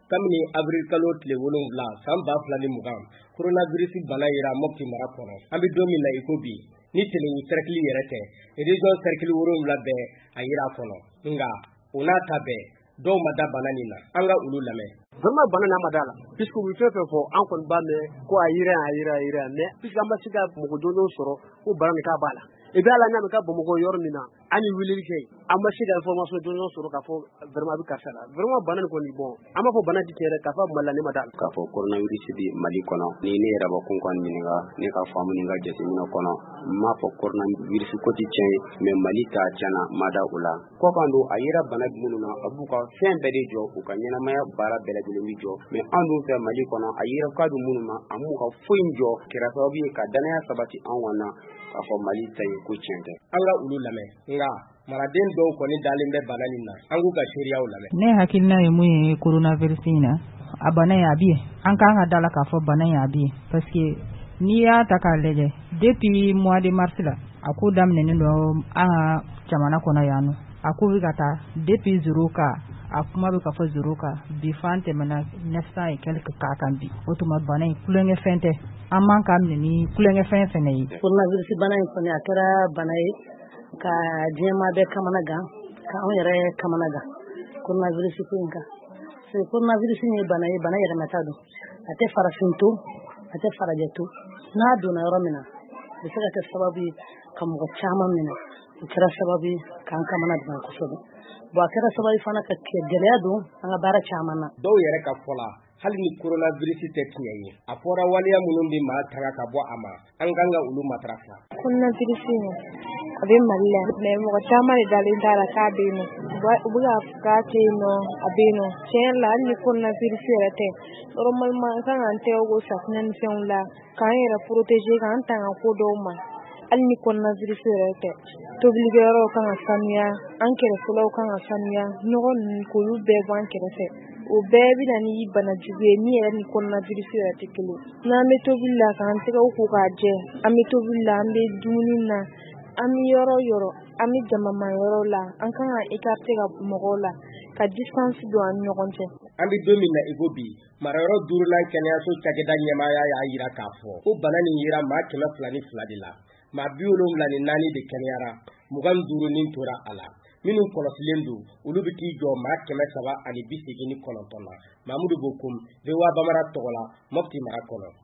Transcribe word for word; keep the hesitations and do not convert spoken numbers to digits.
Kabini avril kalo tile wolonwula san ba fila ni mugan, coronavirus bana yera Mopti mara kɔnɔ. An bɛ don min na i ko bi, ni Tenenkou cercle yɛrɛ tɛ, région cercle wolonwula bɛɛ a yera a kɔnɔ. Nka o n'a ta bɛɛ, dɔw ma da bana nin na. An ka olu lamɛn. Vraiment bana n'a ma da la, puisque u bɛ fɛn fɛn fɔ, an kɔni b'a mɛn ko a yera yan, a yera a yera yan, mais puisque an ma se ka mɔgɔ jɔnjɔn sɔrɔ ko bana nin k'a b'a la. Et puis hali an y'a mɛn k'a Bamakɔ yɔrɔ min na, an ye weleli kɛ yen, an ma se ka information jɔnjɔn sɔrɔ k'a fɔ vraiment a bɛ karisa la. Vraiment bana nin kɔni, bon, an b'a fɔ bana tɛ tiɲɛ yɛrɛ, k'a fɔ a bɛ Mali la, ne ma da la. K'a fɔ coronavirus bɛ Mali kɔnɔ, ni ne yɛrɛ bakun kɔni ɲininka, ne ka faamu ni n ka jateminɛ kɔnɔ, n m'a fɔ coronavirus ko tɛ tiɲɛ ye, mais Mali ta tiɲɛna, n ma da o la. Kɔkan don, a yera bana minnu na, a b'u ka fɛn bɛɛ de jɔ, u ka ɲɛnamaya baara bɛɛ lajɛlen bɛ jɔ. Mais an dun fɛ Mali kɔnɔ, a yera k'a bɛ minnu na, a m'u ka foyi jɔ, kɛra sababu ye ka danaya sabati an kɔni na, k'a fɔ Mali ta ye ko tiɲɛ tɛ. An ka olu lamɛn. Nka maraden dɔw kɔni dalen bɛ bana nin na, an k'u ka seereyaw lamɛn. Ne hakilina ye mun ye coronavirus in na, a bana in a bɛ yen. An kan ka da la k'a fɔ bana in a bɛ yen, parce que n'i y'a ta k'a lajɛ depuis mois de mars la, a ko daminɛnen don an ka jamana kɔnɔ yan nɔ. A ko bɛ ka taa depuis zéro cas, a kuma bɛ ka fɔ zéro cas, bi f'an tɛmɛna neuf cent et quelques cas kan bi. O tuma bana in tulonkɛfɛn tɛ, an man k'a minɛ ni tulonkɛfɛn fɛnɛ ye. Coronavirus bana in kɔni, a kɛra bana ye ka diɲɛmaa bɛɛ kamana gan, ka anw yɛrɛ kamana gan coronavirus ko in kan. Parce que coronavirus ye bana ye, bana yɛlɛmata don. A tɛ farafin to, a tɛ farajɛ to. N'a donna yɔrɔ min na, a bɛ se ka kɛ sababu ye ka mɔgɔ caman minɛ. O kɛra sababu ye k'an kamana gan kosɛbɛ. Bon, a kɛra sababu fana ka gɛlɛya don an ka baara caman na. Dɔw yɛrɛ ka fɔ la, hali ni coronavirus tɛ tiɲɛ ye, a fɔra waleya minnu bɛ maa tanga ka bɔ a ma, an kan ka olu matarafa. Coronavirus in a bɛ Mali la, mais mɔgɔ caman de dalen t'a la k'a bɛ yen nɔ. U bɛ k'a fɔ k'a tɛ yen nɔ, a bɛ yen nɔ. Tiɲɛ yɛrɛ la, hali ni coronavirus yɛrɛ tɛ, normalement an kan k'an tɛgɛ ko safunɛ ni fɛnw la, k'an yɛrɛ protéger, k'an tanga ko dɔw ma. Hali ni coronavirus yɛrɛ tɛ, tobilikɛyɔrɔw kan ka sanuya, an kɛrɛfɛlaw kan ka sanuya, nɔgɔ ninnu k'olu bɛɛ bɔ an kɛrɛfɛ. O bɛɛ bɛ na ni bana jugu ye min yɛrɛ ni coronavirus yɛrɛ tɛ kelen. N'an bɛ tobili la, k'an tɛgɛw ko k'a jɛ, an bɛ tobili la, an bɛ dumuni na, an bɛ yɔrɔ o yɔrɔ, an bɛ jamama yɔrɔ la, an kan ka écarter ka mɔgɔw la, ka distance don an ni ɲɔgɔn cɛ. An bɛ don min na i ko bi, marayɔrɔ duurunan kɛnɛyaso cakɛda ɲɛmaaya y'a jira k'a fɔ ko bana nin yera maa kɛmɛ fila ni fila de la. Maa bi wolonwula ni naani de kɛnɛyara, mugan ni duuru ni tora a la. Minnu kɔlɔsilen don, olu bɛ t'i jɔ maa kɛmɛ saba ani bi seegin ni kɔnɔntɔn na. Mamudu Bokum, V O A Bambara tɔgɔ la, Mopti mara kɔnɔ.